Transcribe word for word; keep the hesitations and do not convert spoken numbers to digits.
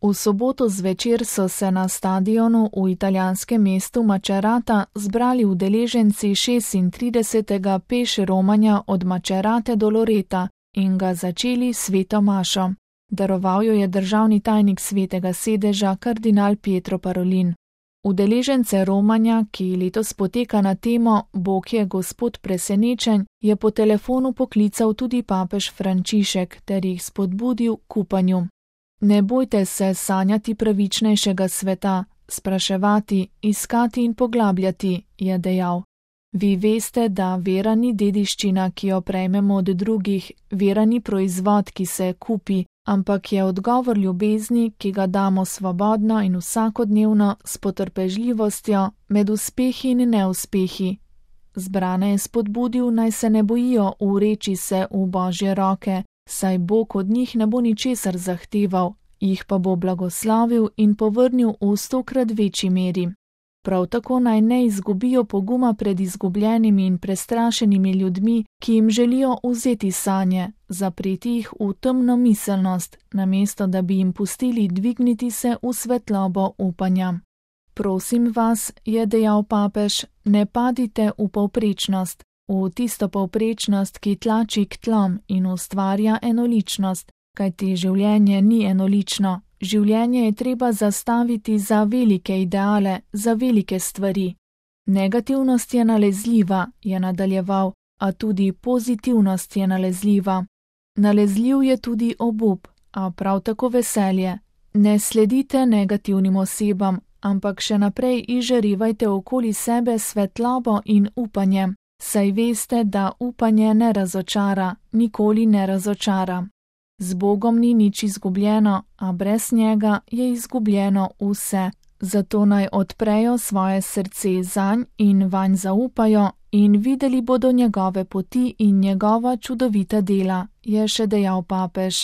V soboto zvečer so se na stadionu v italijanskem mestu Macerata zbrali udeleženci šestintridesetega peš romanja od Macerate do Loreta in ga začeli s sveto mašo. Daroval jo je državni tajnik Svetega sedeža kardinal Pietro Parolin. Udeležence romanja, ki letos poteka na temo Bog je Gospod presenečenj, je po telefonu poklical tudi papež Frančišek ter jih spodbudil k upanju. Ne bojte se sanjati pravičnejšega sveta, spraševati, iskati in poglabljati, je dejal. Vi veste, da vera ni dediščina, ki jo prejmemo od drugih, vera ni proizvod, ki se kupi, ampak je odgovor ljubezni, ki ga damo svobodno in vsakodnevno s potrpežljivostjo med uspehi in neuspehi. Zbrane je spodbudil, naj se ne bojijo ureči se v Božje roke, saj Bog od njih ne bo ničesar zahteval, jih pa bo blagoslavil in povrnil v stokrat večji meri. Prav tako naj ne izgubijo poguma pred izgubljenimi in prestrašenimi ljudmi, ki jim želijo vzeti sanje, zapreti jih v temno miselnost, namesto da bi jim pustili dvigniti se v svetlobo upanja. Prosim vas, je dejal papež, ne padite v povprečnost, v tisto povprečnost, ki tlači k tlom in ustvarja enoličnost, kajti življenje ni enolično. Življenje je treba zastaviti za velike ideale, za velike stvari. Negativnost je nalezljiva, je nadaljeval, a tudi pozitivnost je nalezljiva. Nalezljiv je tudi obup, a prav tako veselje. Ne sledite negativnim osebam, ampak še naprej izžarevajte okoli sebe svetlobo in upanje, saj veste, da upanje ne razočara, nikoli ne razočara. Z Bogom ni nič izgubljeno, a brez njega je izgubljeno vse. Zato naj odprejo svoje srce zanj in vanj zaupajo in videli bodo njegove poti in njegova čudovita dela, je še dejal papež.